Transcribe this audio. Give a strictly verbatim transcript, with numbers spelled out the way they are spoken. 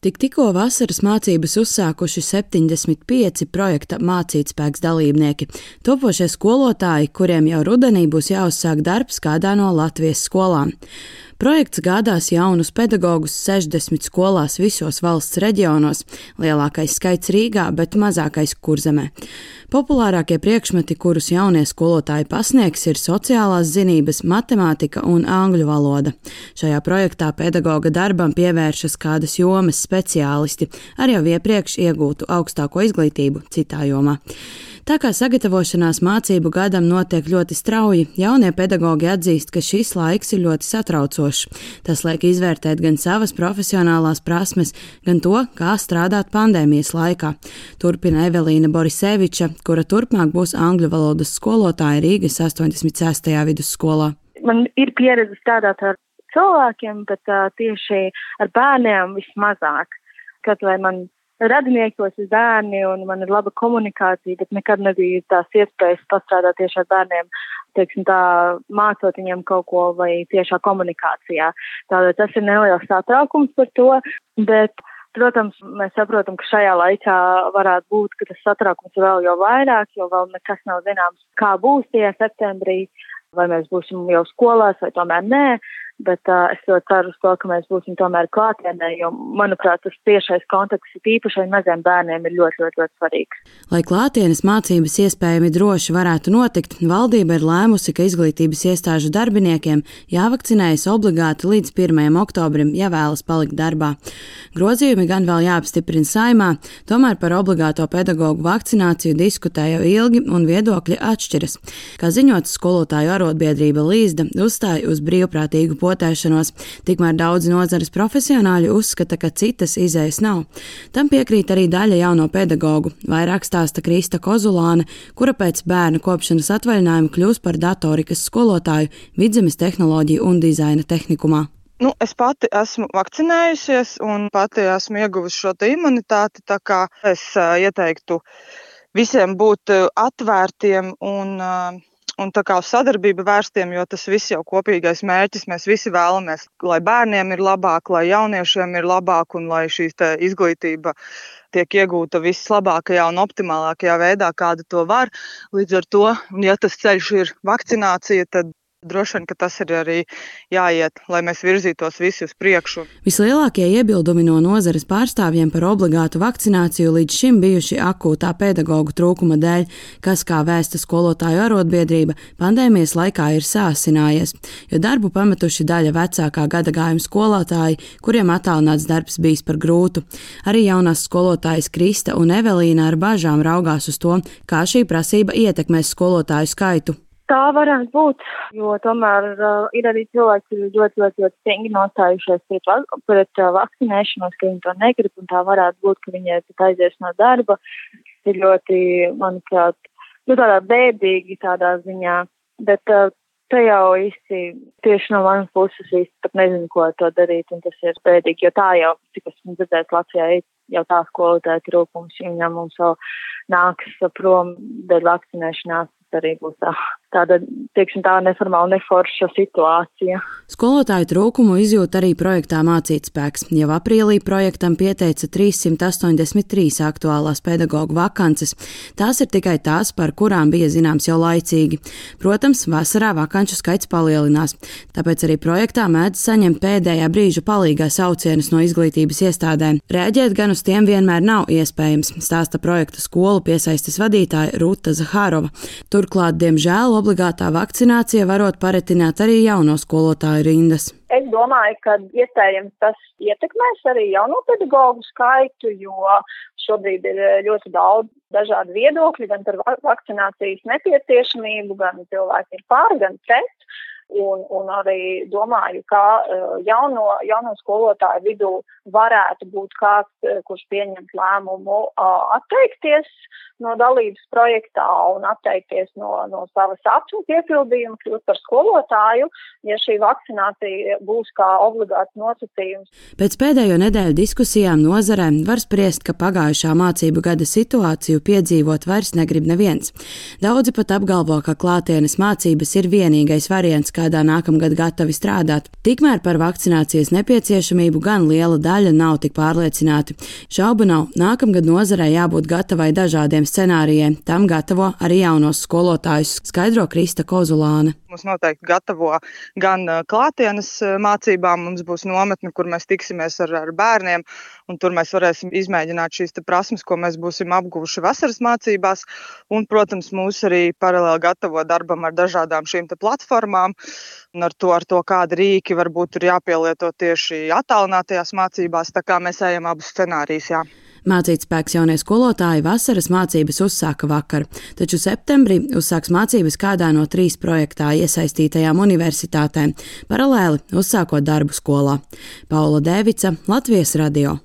Tik tikko vasaras mācības uzsākuši septiņdesmit pieci projekta Mācītspēks dalībnieki, topošie skolotāji, kuriem jau rudenī būs jāuzsāk darbs kādā no Latvijas skolām. Projekts gādās jaunus pedagogus sešdesmit skolās visos valsts reģionos, lielākais skaits Rīgā, bet mazākais Kurzemē. Populārākie priekšmeti, kurus jaunie skolotāji pasniegs, ir sociālās zinības, matemātika un angļu valoda. Šajā projektā pedagoga darbam pievēršas kādas jomas speciālisti ar jau iepriekš iegūtu augstāko izglītību citā jomā. Tā kā sagatavošanās mācību gadam notiek ļoti strauji, jaunie pedagogi atzīst, ka šis laiks ir ļoti satraucošs. Tas liek izvērtēt gan savas profesionālās prasmes, gan to, kā strādāt pandēmijas laikā. Turpina Evelīna Boriseviča, kura turpmāk būs angļu valodas skolotāja Rīgas astoņdesmit sestajā vidusskolā. Man ir pieredze strādāt ar cilvēkiem, bet uh, tieši ar bērniem vismazāk. Kad vai man radiniekos ir bērni un man ir laba komunikācija, bet nekad nebija tās iespējas pastrādāt tieši ar bērniem, teiksim tā, mācot viņiem kaut ko vai tiešā komunikācijā. Tātad tas ir neliels satraukums par to, bet, protams, mēs saprotam, ka šajā laikā varētu būt, ka tas satraukums vēl jau vairāk, jo vēl nekas nav zināms, kā būs tajā septembrī, vai mēs būsim jau skolās vai tomēr nē. Bet uh, es ļoti ceru uz to, ka mēs būsim tomēr klātienē, jo, manuprāt, tas tiešais kontakts īpaši maziem bērniem ir ļoti, ļoti, ļoti svarīgs. Lai klātienes mācības iespējami droši varētu notikt, valdība ir lēmusi, ka izglītības iestāžu darbiniekiem jāvakcinējas obligāti līdz pirmajam oktobrim, ja vēlas palikt darbā. Grozījumi gan vēl jāapstiprina Saeimā, tomēr par obligāto pedagogu vakcināciju diskutē jau ilgi un viedokļi atšķiras. Kā ziņots, skolotāju arotbiedrība Līzda uzstāja uz brīvprātīgu potēšanos, tikmēr daudzi nozares profesionāļi uzskata, ka citas izejas nav. Tam piekrīt arī daļa jauno pedagogu. Vairāk stāsta Krista Kozulāne, kura pēc bērnu kopšanas atvaļinājuma kļūs par datorikas skolotāju Vidzemes tehnoloģiju un dizaina tehnikumā. Nu, es pati esmu vakcinējusies un pati esmu ieguvusi šo te imunitāti, tā kā es uh, ieteiktu visiem būt uh, atvērtiem un uh, Un tā kā uz sadarbību vērstiem, jo tas viss jau kopīgais mērķis, mēs visi vēlamies, lai bērniem ir labāk, lai jauniešiem ir labāk un lai šī izglītība tiek iegūta vislabākajā un optimālākajā veidā, kāda to var. Līdz ar to, ja tas ceļš ir vakcinācija, tad droši vien, ka tas ir arī jāiet, lai mēs virzītos visi uz priekšu. Vislielākie iebildumi no nozares pārstāvjiem par obligātu vakcināciju līdz šim bijuši akūtā pedagogu trūkuma dēļ, kas, kā vēsta skolotāju arotbiedrība, pandēmijas laikā ir sāsinājies, jo darbu pametuši daļa vecākā gadagājuma skolotāji, kuriem attālināts darbs bijis par grūtu. Arī jaunās skolotājas Krista un Evelīna ar bažām raugās uz to, kā šī prasība ietekmēs skolotāju skaitu. Tā varētu būt, jo tomēr uh, ir arī cilvēki, kuri ļoti, ļoti, ļoti stingri nostājušies pret, pret uh, vakcinēšanos, ka viņi to negrib, un tā varētu būt, ka viņi aizies no darba. Ir ļoti, manuprāt, nu tādā bēdīgi tādā ziņā, bet uh, te jau īsti tieši no manas puses īsti pat nezinu, ko to darīt, un tas ir bēdīgi, jo tā jau, cik esmu dzirdējis Latvijā, jau tā skolotāja trūkums, viņam mums vēl nāks prom dēļ vakcinēšanās. Arī būs tā, tāda, teiksim, tā neformāla, neforša situācija. Skolotāju trūkumu izjūt arī projektā Mācītspēks. Jau aprīlī projektam pieteica trīssimt astoņdesmit trīs aktuālās pedagogu vakances. Tās ir tikai tās, par kurām bija zināms jau laicīgi. Protams, vasarā vakanču skaits palielinās. Tāpēc arī projektā mēdz saņemt pēdējā brīža palīgā saucienus no izglītības iestādēm. Reaģēt gan uz tiem vienmēr nav iespējams, stāsta projekta skolu piesaistes vadītāja Ruta Zahārova. Turklāt, diemžēl, obligātā vakcinācija varot paretināt arī jauno skolotāju rindas. Es domāju, ka iespējams tas ietekmēs arī jauno pedagogu skaitu, jo šobrīd ir ļoti daudz dažādu viedokļu, gan par vakcinācijas nepieciešamību, gan cilvēki ir pār, gan pret. Un, un arī domāju, ka jauno, jauno skolotāju vidū varētu būt kāds, kurš pieņemt lēmumu atteikties no dalības projektā un atteikties no, no savas apziņas piepildījuma, kļūt par skolotāju, ja šī vakcinācija būs kā obligāts nosacījums. Pēc pēdējo nedēļu diskusijām nozarē var spriest, ka pagājušā mācību gada situāciju piedzīvot vairs negrib neviens. Daudzi pat apgalvo, ka klātienes mācības ir vienīgais variants, kā kādā nākamgad gatavi strādāt. Tikmēr par vakcinācijas nepieciešamību gan liela daļa nav tik pārliecināti. Šaubu nav, nākamgad nozarei jābūt gatavai dažādiem scenārijiem. Tam gatavo arī jaunos skolotājus, skaidro Krista Kozulāne. Mums noteikti gatavo gan klātienes mācībām, mums būs nometne, kur mēs tiksimies ar, ar bērniem, un tur mēs varēsim izmēģināt šīs prasmes, ko mēs būsim apguvuši vasaras mācībās, un, protams, mūs arī paralēli gatavo darbam ar dažādām šīm te platformām, un ar to, ar to kādi rīki varbūt tur jāpielieto tieši attālinātajās mācībās, tā kā mēs ejam abus scenārijus, jā. Mācītspēks jaunie skolotāji vasaras mācības uzsāka vakar, taču septembrī uzsāks mācības kādā no trīs projektā iesaistītajām universitātēm, paralēli uzsākot darbu skolā. Paula Dēvica, Latvijas radio.